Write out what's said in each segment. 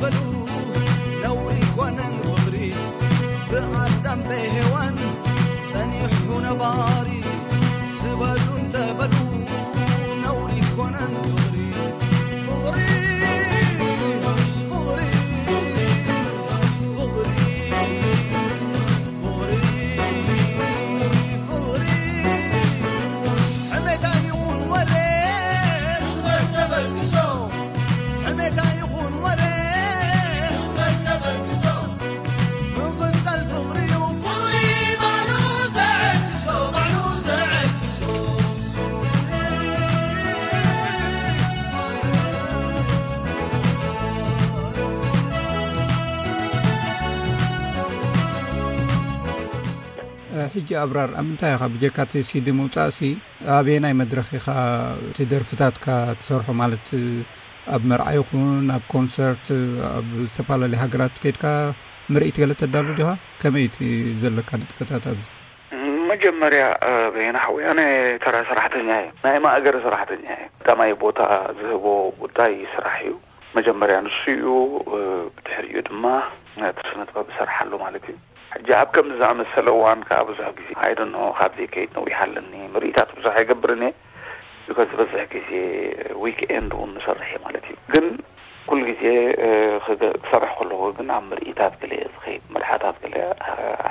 በሉ ነውሪ ኮነን ፍቕሪ ብኣዳም ብሄዋን ጸኒሑ ነባሪ ዝበሉ እንተበሉ ነውሪ ኮነን ፍቕሪ ፍቕሪ ፍቕሪ ፍቕሪ ፍቕሪ ሕሜታ ይኹን ወሬ ተበግሶ ሕሜታ ይኹን ወሬ ተበግሶ ምቕንጣል ፍቕሪ እዩ ፍቕሪ ባዕሉ ተዐግሶ ባዕሉ ተዐግሶ ሕጂ ኣብራር ኣብ ምንታይ ኢኻ ብጀካ እቲ ሲዲ ምውፃእሲ ኣበየናይ መድረኽ ኢኻ እቲ ደርፍታትካ ትሰርሖ ማለት ኣብ መርዓ ይኹን ኣብ ኮንሰርት ኣብ ዝተፈላለዩ ሃገራት ከይድካ ምርኢት ገለ ተዳሉ ዲኻ ከመይ እቲ ዘለካ ንጥፈታት ኣብዚ መጀመርያ በየና ሓወይ ኣነ ተራ ሰራሕተኛ እየ ናይ ማእገር ሰራሕተኛ እየ ቀዳማይ ቦታ ዝህቦ ጉዳይ ስራሕ እዩ መጀመርያ ንሱ እዩ ብድሕሪኡ ድማ እቲ ስነ ጥበብ እሰርሓሉ ማለት እዩ ሕጂ ኣብ ከምዚ ዝኣመሰለ እዋን ከዓ ብዙሕ ግዜ ኣይደኖ ካብ ዘይከይድ ነዊሕ ኣለኒ ምርኢታት ብዙሕ ኣይገብርን እየ because ዝበዝሕ ግዜ ዊክኤንድ እውን ንሰርሕ እየ ማለት እዩ ግን ኩሉ ግዜ ክሰርሕ ከለኹ ግን ኣብ ምርኢታት ገለ እየ ዝኸይድ መርሓታት ገለ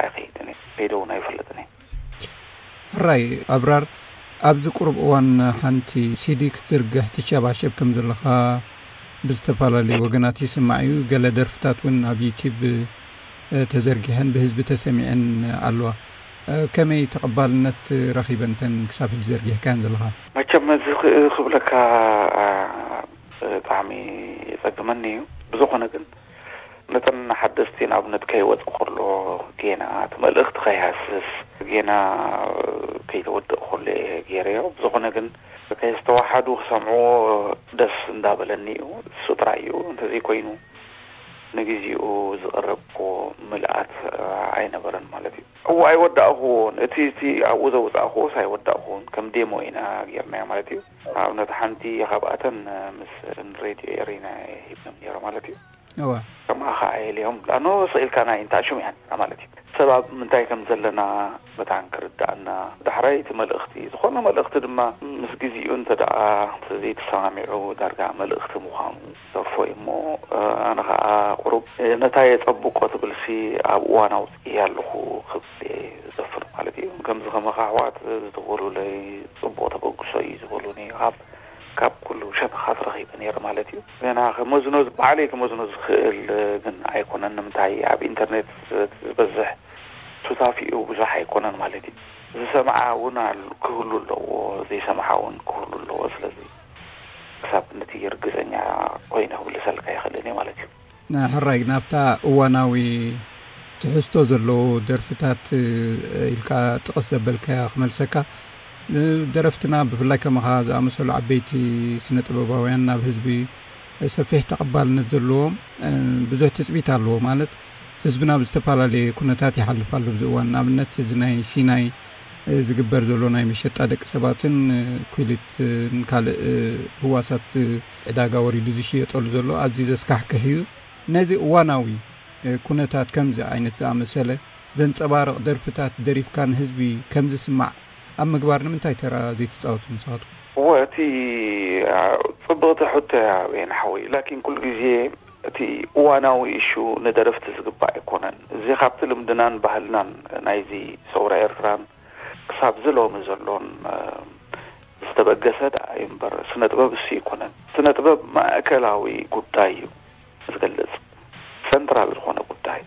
ኣይኸይድን እየ ከይደ እውን ኣይፈልጥን እየ ሕራይ ኣብራር ኣብዚ ቁሩብ እዋን ሓንቲ ሲዲ ክትዝርግሕ ትሸባሸብ ከም ዘለኻ ብዝተፈላለዩ ወገናት ይስማዕ እዩ። ገለ ደርፍታት እውን ኣብ ዩቲብ ተዘርጊሐን ብህዝቢ ተሰሚዐን ኣለዋ። ከመይ ተቐባልነት ረኺበን እተን ክሳብ ሕጂ ዘርጊሕካየን ዘለኻ? መቸም እዚ ክብለካ ብጣዕሚ የፀግመኒ እዩ። ብዝኾነ ግን ነተን ሓደስቲ ንኣብነት ከይወፀ ከሎ ጌና እቲ መልእኽቲ ከይሃስስ ጌና ከይተወድእ ከሎ እየ ገይረዮ። ብዝኾነ ግን ከይስተዋሓዱ ክሰምዕዎ ደስ እንዳበለኒ እዩ። እሱ ጥራይ እዩ። እንተዘይኮይኑ ንግዚኡ ዝቐረብክዎ ምልኣት ኣይነበረን ማለት እዩ። እዎ ኣይወዳእኽዎን። እቲ እቲ ኣብኡ ዘውፃእኽዎስ ኣይወዳእኽዎን። ከም ዴሞ ኢና ጌርናዮ ማለት እዩ። ኣብነት ሓንቲ ካብኣተን ምስ ሬድዮ ኤሪና ሂብኖም ነይረ ማለት እዩ። እወ። ከማኻ ኣየልዮም ላኖ ስቕ ኢልካ ናይ እንታይ ሽም እያ ማለት እዩ። ሰብ ኣብ ምንታይ ከም ዘለና መታን ክርዳእና ዳሕራይ እቲ መልእኽቲ ዝኾነ መልእኽቲ ድማ ምስ ግዜኡ እንተ ደኣ ዘይተሰማሚዑ ዳርጋ መልእኽቲ ምዃኑ ዘርፎ እዩ እሞ ኣነ ኸዓ ቁሩብ ነታ የጸብቆ ትብልሲ ኣብ እዋን ኣውፅእያ ኣለኹ ክብል እየ ዝደፍር ማለት እዩ። ከምዚ ከማኻ ኣሕዋት ዝደወሉለይ ፅቡቕ ተበግሶ እዩ ዝበሉኒ ካብ ካብ ኩሉ ሸነኻት ረኺበ ነይረ ማለት እዩ። ገና ክመዝኖ ባዕለይ ክመዝኖ ዝኽእል ግን ኣይኮነን። ንምንታይ ኣብ ኢንተርኔት ዝበዝሕ ሱታፊኡ ብዙሕ ኣይኮነን ማለት እዩ። ዝሰምዓ እውን ክህሉ ኣለዎ፣ ዘይሰምዓ እውን ክህሉ ኣለዎ። ስለዚ ክሳብ ነቲ ርግፀኛ ኮይነ ክምልሰልካ ይኽእልን እየ ማለት እዩ። ሕራይ ናብታ እዋናዊ ትሕዝቶ ዘለዎ ደርፍታት ኢልካ ጥቕስ ዘበልካያ ክመልሰካ። ደረፍትና ብፍላይ ከማኻ ዝኣመሰሉ ዓበይቲ ስነ ጥበባውያን ናብ ህዝቢ ሰፊሕ ተቐባልነት ዘለዎም ብዙሕ ትፅቢት ኣለዎ። ማለት ህዝብና ብዝተፈላለየ ኩነታት ይሓልፍ ኣሎ ኣብዚ እዋን። ንኣብነት እዚ ናይ ሲናይ ዝግበር ዘሎ ናይ መሸጣ ደቂ ሰባትን ኲሊትን ካልእ ህዋሳት ዕዳጋ ወሪዱ ዝሽየጠሉ ዘሎ ኣዝዩ ዘስካሕክሕ እዩ። ነዚ እዋናዊ ኩነታት ከምዚ ዓይነት ዝኣመሰለ ዘንጸባርቕ ደርፍታት ደሪፍካ ንህዝቢ ከም ዝስማዕ ኣብ ምግባር ንምንታይ ተራ ዘይትጻወቱ ንስኻትኩም? እወ እቲ ጽብቕቲ ሕቶ እያ በየነ ሓወይ። ላኪን ኩሉ ግዜ እቲ እዋናዊ ኢሹ ንደረፍቲ ዝግባእ ኣይኮነን። እዚ ካብቲ ልምድናን ባህልናን ናይዚ ሰውራ ኤርትራን ክሳብ ዝሎሚ ዘሎን ዝተበገሰ ደኣ እዩ እምበር ስነ ጥበብ እሱ ኣይኮነን። ስነ ጥበብ ማእከላዊ ጉዳይ እዩ ዝገልጽ፣ ሰንትራል ዝኾነ ጉዳይ፣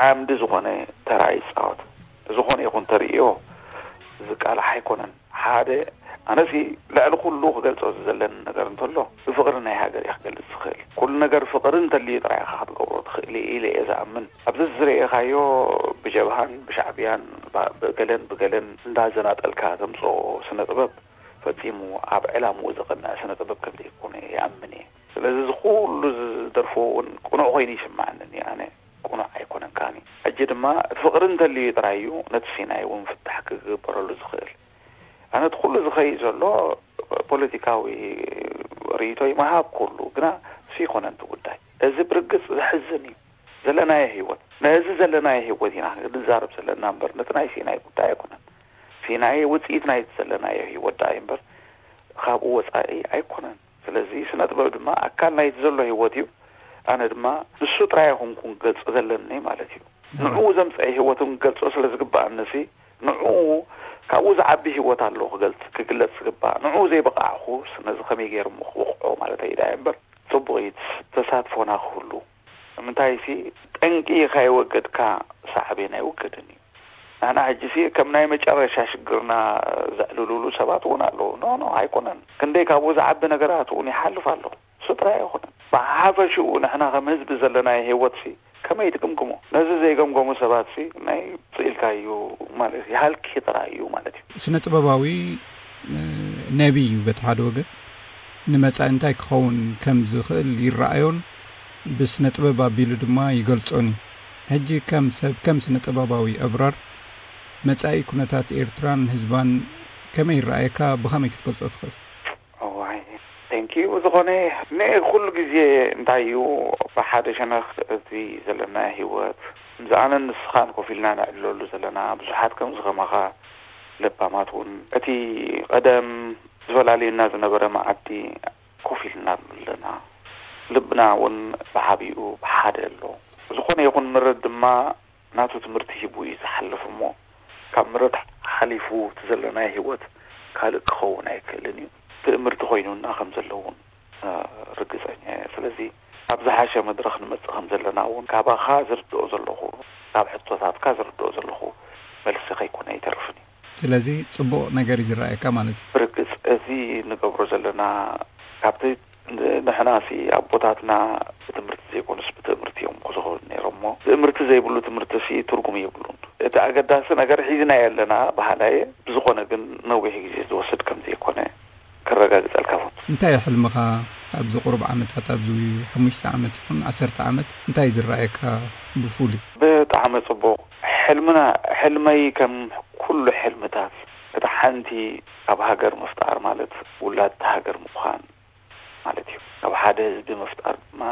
ዓምዲ ዝኾነ ተራ ይጻወት። ዝኾነ ይኹን ተርእዮ ዝቃላሕ ኣይኮነን። ሓደ ኣነሲ ልዕሊ ኩሉ ክገልጾ ዝዘለኒ ነገር እንተሎ ብፍቕሪ ናይ ሃገር እየ ክገልጽ ዝኽእል። ኩሉ ነገር ፍቕሪ እንተልዩ ጥራይ ኢኻ ክትገብሮ ትኽእል ኢለ እየ ዝኣምን። ኣብዚ ዝረኤኻዮ ብጀብሃን ብሻዕብያን ብገለን ብገለን እንዳዘናጠልካ ተምጽኦ ስነ ጥበብ ፈጺሙ ኣብ ዕላምኡ ዝቕንዕ ስነ ጥበብ ከም ዘይኮነ ይኣምን እየ። ስለዚ እዚ ኩሉ ዝደርፍዎ እውን ቅኑዕ ኮይኑ ይስምዓኒ ኣነ። ቅኑዕ ኣይኮነን ከኣኒ። ሕጂ ድማ ፍቕሪ እንተልዩ ጥራይ እዩ ነቲ ሲናይ እውን ፍታሕ ክግበረሉ ዝኽእል። ኣነ እቲ ኩሉ ዝኸይድ ዘሎ ፖለቲካዊ ርእይቶይ ምሃብ ኩሉ ግና እሱ ይኮነን እቲ ጉዳይ። እዚ ብርግጽ ዘሕዝን እዩ። ዘለናዮ ህይወት፣ ነዚ ዘለናዮ ህይወት ኢና ንዛረብ ዘለና እምበር፣ ነቲ ናይ ሲናይ ጉዳይ ኣይኮነን። ሲናይ ውጽኢት ናይቲ ዘለናዮ ህይወት ደኣ እዩ እምበር፣ ካብኡ ወጻኢ ኣይኮነን። ስለዚ ስነ ጥበብ ድማ ኣካል ናይቲ ዘሎ ህይወት እዩ። ኣነ ድማ ንሱ ጥራይ ኣይኮንኩን ክገልጾ ዘለኒ ማለት እዩ። ንዕኡ ዘምጽአ ህይወት እውን ክገልጾ ስለ ዝግባኣኒ ሲ፣ ንዕኡ ካብኡ ዝዓቢ ህይወት ኣሎ ክገልጽ፣ ክግለጽ ዝግባእ። ንዕኡ ዘይበቃዕኹስ ነዚ ከመይ ገይሩ እሞ ክበቕዖ ማለተይ ደኣ እምበር፣ ጽቡቕ እዩ ተሳትፎና ክህሉ። ንምንታይ ሲ፣ ጠንቂ ከይወገድካ ሳዕቤን ኣይውገድን እዩ። ንሕና ሕጂ ሲ ከም ናይ መጨረሻ ሽግርና ዘዕልሉሉ ሰባት እውን ኣለዉ። ኖ፣ ኖ፣ ኣይኮነን። ክንደይ ካብኡ ዝዓቢ ነገራት እውን ይሓልፍ ኣሎ። እሱ ጥራይ ኣይኮነን። ብሓፈሽኡ ንሕና ከም ህዝቢ ዘለናዮ ህይወት ሲ ከመይ ትግምግሞ? ነዚ ዘይገምገሙ ሰባት ሲ ናይ ስኢልካዩ ማለት ይሃልኪ ጥራይ እዩ ማለት እዩ። ስነ ጥበባዊ፣ እ፣ ነቢይ እዩ በቲ ሓደ ወገን። ንመጻኢ እንታይ ክኸውን ከም ዝኽእል ይረኣዮን ብስነ ጥበብ ኣቢሉ ድማ ይገልጾን እዩ። ሕጂ ከም ሰብ፣ ከም ስነ ጥበባዊ ኣብራር፣ መጻኢ ኩነታት ኤርትራን ህዝባን ከመይ ይረኣየካ? ብኸመይ ክትገልጾ ትኽእል? እዋይ፣ ቴንኪዩ። ብዝኾነ፣ ንኤ ኩሉ ግዜ እንታይ እዩ፣ ብሓደ ሸነኽ እቲ ዘለና ህይወት፣ ምስ ኣነን ንስኻን ኮፍ ኢልና ነዕልለሉ ዘለና፣ ብዙሓት ከምዚ ከማኻ ለባማት እውን፣ እቲ ቀደም ዝፈላልየና ዝነበረ መዓዲ ኮፍ ኢልና ኣለና። ልብና እውን ብዓቢኡ ብሓደ ኣሎ። ዝኾነ ይኹን ምረት ድማ ናቱ ትምህርቲ ሂቡ እዩ ዝሓልፍ እሞ፣ ካብ ምረት ሓሊፉ እቲ ዘለናዮ ህይወት ካልእ ክኸውን ኣይክእልን እዩ። ትእምርቲ ኮይኑና ከም ዘሎ እውን፣ እ፣ ርግጸኛ እየ። ስለዚ ኣብ ዝሓሸ መድረኽ ንመጽእ ከም ዘለና እውን ካባኻ ዝርድኦ ዘለኹ፣ ካብ ሕቶታትካ ዝርድኦ ዘለኹ መልሲ ከይኮነ ኣይተርፍን እዩ። ስለዚ ጽቡቕ ነገር እዩ ዝረኣየካ ማለት እዩ። ብርግጽ እዚ ንገብሮ ዘለና ካብቲ ንሕናሲ ኣቦታትና ብትምህርቲ ዘይኮኑስ ብትእምርቲ እዮም ክዝኸሩ ነይሮም እሞ፣ ትእምርቲ ዘይብሉ ትምህርቲሲ ትርጉም የብሉን። እቲ ኣገዳሲ ነገር ሒዝናዮ ኣለና በሃላይ እየ። ብዝኾነ ግን ነዊሕ ግዜ ዝወስድ ከም ዘይኮነ ከረጋግጸልካ እፈቱ። እንታይ እዩ ሕልምኻ ኣብዚ ቁሩብ ዓመታት፣ ኣብዚ ሓሙሽተ ዓመት ይኹን ዓሰርተ ዓመት እንታይ እዩ ዝረኣየካ ብፍሉይ? ብጣዕሚ ጽቡቕ። ሕልምና፣ ሕልመይ ከም ኩሉ ሕልምታት፣ እታ ሓንቲ ኣብ ሃገር ምፍጣር ማለት ውላድ ሃገር ምዃን ማለት እዩ። ካብ ሓደ ህዝቢ ምፍጣር ድማ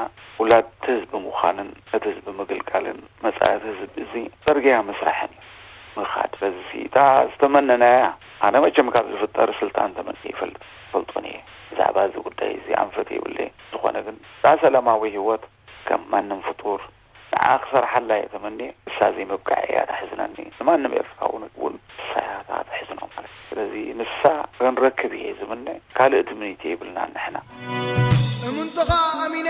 ውላድ ህዝቢ ምዃንን ነቲ ህዝቢ ምግልጋልን መጻኢ ህዝቢ እዚ ጽርግያ ምስራሕን እዩ ምኻድ። በዚ እታ ዝተመነናያ፣ ኣነ መቸም ካብ ዝፍጠር ስልጣን ተመንየ ይፈልጥ፣ ፈልጦን እየ። ብዛዕባ እዚ ጉዳይ እዚ ኣንፈት የብለይን። ዝኾነ ግን እታ ሰላማዊ ህይወት ከም ማንም ፍጡር ንዓ ክሰርሓላ እየ ተመንየ። ንሳ ዘይምብቃዕ እያ ተሕዝነኒ። ንማንም ኤርትራዊ እውን ንሳ እያ እታ ተሕዝኖ ማለት እዩ። ስለዚ ንሳ ክንረክብ እየ ዝምነ። ካልእ ትምኒት የብልናን ንሕና። እምንቶኻ ኣሚነ፣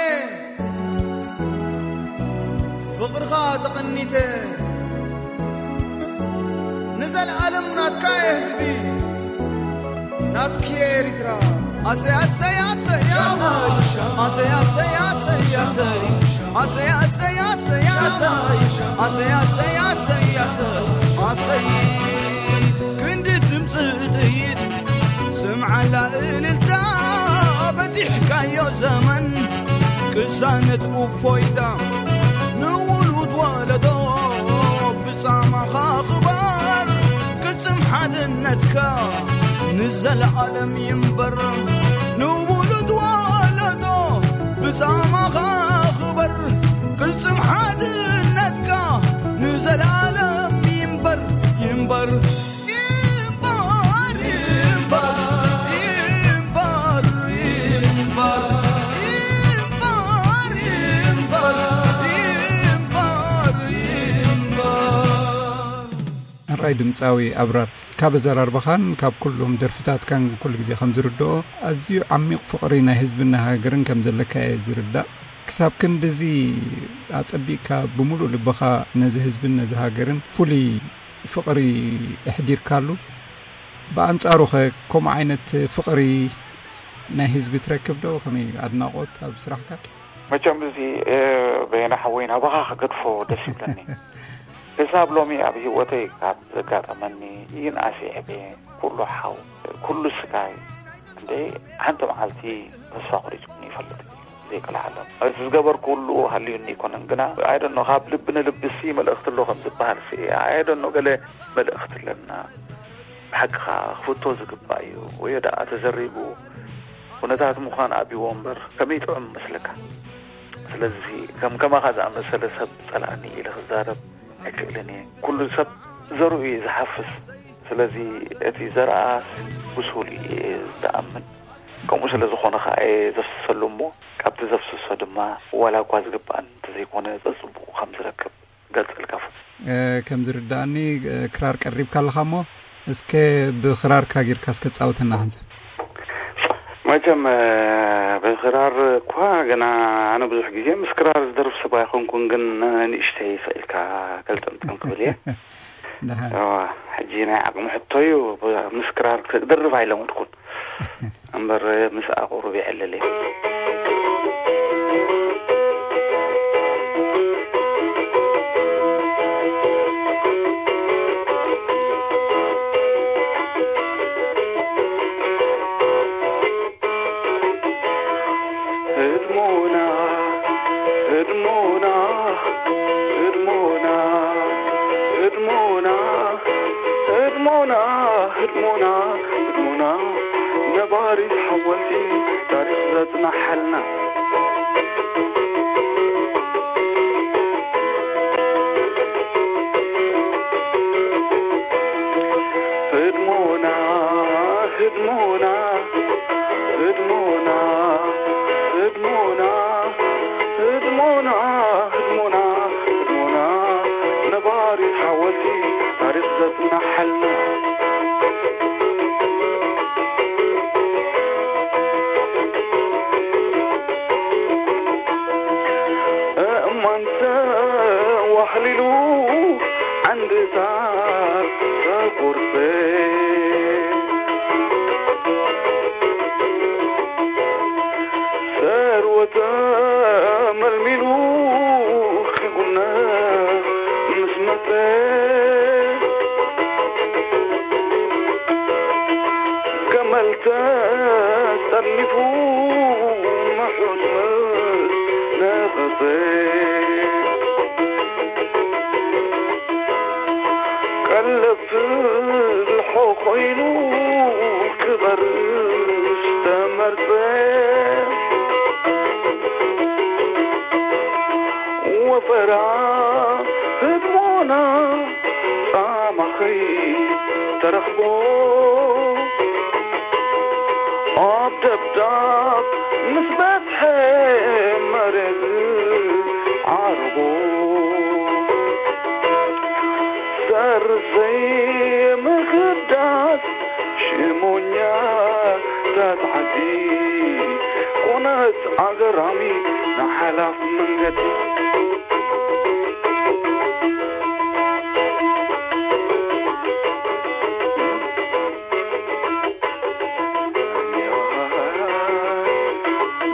ፍቕርኻ ተቐኒተ፣ ንዘለኣለም ናትካ እየ ህዝቢ፣ ናትኪ እየ ኤሪትራ። ኣሰይ ኣሰይ ኣሰይ ኣሰይ ኣሰይ ኣሰይ ኣሰይ ኣሰይ ኣሰይ ኣሰይ ኣሰይ ኣሰይ ኣሰይ ኣሰይ ኣሰይ ኣሰይ ኣሰይ ኣሰይ ኣሰይ ክንዲ ድምፂ ጥይት ስምዓላ እልልታ በፂሕካዮ ዘመን ቅሳነት እፎይታ ንውሉድ ወለዶ ብጻማኻ ክባር ቅልጽም ሓድነትካ ንዘለዓለም ይንበር ንውሉድ ወለዶ ብጻማኻ ክበር ቅልጽም ሓድነትካ ንዘለዓለም ይንበር ይንበር ይንበር ይንበር ይንበር ይንበር ይንበር ይንበር ይንበር ሕራይ ድምጻዊ ኣብራር፣ ካብ ኣዘራርባኻን ካብ ኩሎም ደርፍታትካን ኩሉ ግዜ ከም ዝርድኦ፣ ኣዝዩ ዓሚቕ ፍቕሪ ናይ ህዝብን ናይ ሃገርን ከም ዘለካ እየ ዝርዳእ። ክሳብ ክንድዚ ኣጸቢቕካ ብምሉእ ልብኻ ነዚ ህዝብን ነዚ ሃገርን ፍሉይ ፍቕሪ ኣሕዲርካሉ፣ ብኣንጻሩኸ ከምኡ ዓይነት ፍቕሪ ናይ ህዝቢ ትረክብ ዶ? ከመይ ኣድናቖት ኣብ ስራሕካ? መቸም እዚ፣ እ፣ በየነ ሓወይ ናባኻ ክገድፎ ደስ ይብለኒ። ክሳብ ሎሚ ኣብ ህይወተይ ካብ ዘጋጠመኒ ይንኣስ ይዕበ፣ ኩሉ ሓው፣ ኩሉ ስጋይ፣ እንደ ሓንቲ መዓልቲ ተስፋ ቆሪጹኒ ይፈልጥ ዘይቅልዓለም። እቲ ዝገበርኩ ሁሉ ሃልዩኒ ኣይኮነን፣ ግና፣ I don't know፣ ካብ ልቢ ንልቢ ሲ መልእኽቲ ኣሎ ከም ዝበሃል ሲ፣ I don't know፣ ገለ መልእኽቲ ኣለና። ብሓቂ ከኣ ክፍቶ ዝግባእ እዩ። ወዮ ደኣ ተዘሪቡ ኩነታት ምዃን ኣብይዎ እምበር ከመይ ጥዑም መስለካ? ስለዚ ከም ከማኻ ዝኣመሰለ ሰብ ጸላእኒ ኢለ ክዛረብ ኣይክእልን እየ። ኩሉ ሰብ ዘርኡ እዩ ዝሓፍስ። ስለዚ እቲ ዘርኣ ብሱል እዩ ዝኣምን። ከምኡ ስለ ዝኾነ ኸዓ እየ ዘፍስሰሉ እሞ ካብቲ ዘፍስሶ ድማ ዋላ እኳ ዝግባኣን እንተዘይኮነ ጸጽቡቑ ከም ዝረክብ ገልጸልካ። እ፣ ከም ዝርዳእኒ፣ እ፣ ክራር ቀሪብካ ኣለኻ እሞ እስከ ብኽራርካ ጌርካ እስከ ጻውተና ሓንሳብ። መቸም፣ እ፣ ብኽራር እኳ ገና ኣነ ብዙሕ ግዜ ምስ ክራር ዝደርፍ ሰብ ኣይኮንኩን፣ ግን ንእሽተይ ስቕ ኢልካ ከልጠምጠም ክብል እየ። ደሓን። እዋ፣ ሕጂ ናይ ዓቕሚ ሕቶ እዩ። ብ-፣ ምስ ክራር ክደርፍ ኣይለመድኩን። እምበር ምስኣ ቁሩብ ይዕልል እየ። ህድሞና፣ ህድሞና፣ ህድሞና፣ ህድሞና፣ ህድሞና፣ ህድሞና፣ ህድሞና፣ ነባሪት ሓወልቲ ታሪኽ ዘጽናሓልና። ህድሞና፣ ህድሞና፣ ህድሞና፣ ህድሞና፣ ህድሞና፣ ህድሞና፣ ህድሞና፣ ነባሪት ሓወልቲ ታሪኽ ዘጽናሓልና። እማንተ ዋሕሊሉ ዓንድታት ተቁርጸ፣ ሰርወተ መልሚሉ ክጉነ ምስ መጸ፣ ገመል ተጠርኒፉ ምሑት ምስ ነቐጸ፣ ቀለብ ፍልሖ ኮይኑ ክበርስ ተመርጸ። ወፈራ ህድሞና ጻማኸይ ተረኽቦ፣ ኣብ ደብዳብ ምስ በጽሐ መሬት ዓርቦ፣ ሰርዘይ ምኽዳስ ሽሞኛታት ዓዲ ኮነት ኣገራሚ ንሓላፍ መንገዲ።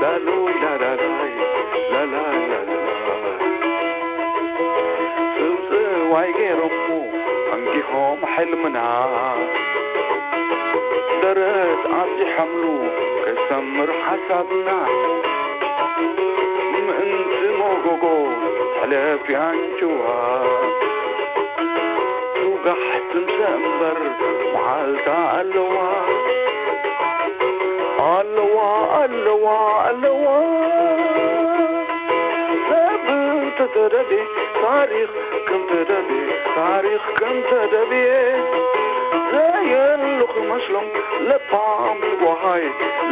ላሉይ ላላላይ ላላላላ። ጽውጽዋይ ገይሮሞ ኣንጊሆም ሕልምና፣ ደረት ኣስዲሖምሉ ከይሰምር ሓሳብና። ምእንቲ መጎጎ ሕለፍ ያንጭዋ፣ ትውጋሕ ትምሰ እምበር መዓልታ ኣለዋ። ኣለዋ፣ ኣለዋ፣ ኣለዋ። ሰብ እንተተደልየ ታሪኽ ከም ተደልየ፣ ታሪኽ ከም ተደልየ፣ ዘየሉ ክመስሎም ለባም ዝጓሃየ፣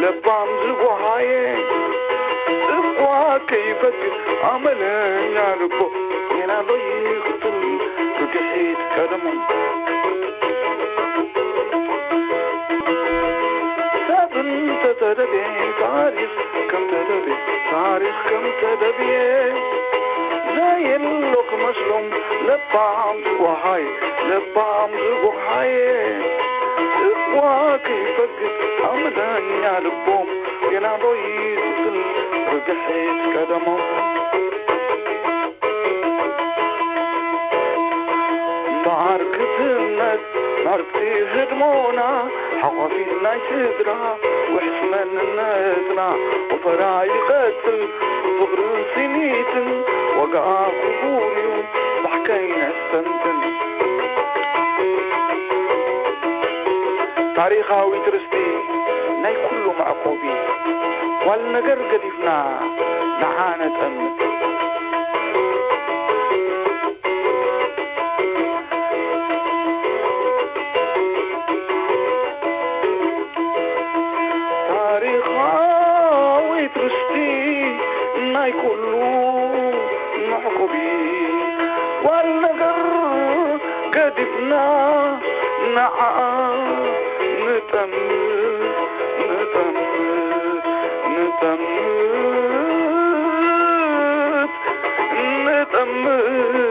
ለባም ዝጓሃየ። እኳ ከይፈግር ኣመለኛ ልቦ፣ ጌና ዶ ይኽትል ርግሒት ቀደሞም። ሰብ እንተተደልየ ታሪኽ ከም ተደልየ፣ ታሪኽ ከም ተደልየ፣ ዘየሎ ክመስሎም ለባም ዝጓሃየ፣ ለባም ዝጓሃየ። እኳ ከይፈግር ኣመለኛ ልቦም፣ ጌና ዶ ይኽትል ርግሒት ቀደሞም። እምበኣር ክትነት ማርክቲ ህድሞና፣ ሓቋፊት ናይ ስድራ ውሕስ መንነትና፣ ወፈራ ይቐጽል ብፍቕርን ስኒትን፣ ዋጋኣ ክቡር እዩ ባሕከይ ነስተንትን። ታሪኻዊት ርስቲ ናይ ኩሉ መዕቆቢ፣ ጓል ነገር ገዲፍና ንዓ ነጠምት። ታሪኻዊት ርስቲ ናይ ኩሉ መዕቆቢ ጓል ነገር ገዲፍና ንዓ ንጠምት፣ ንጠምት፣ ንጠምት፣ ንጠምት።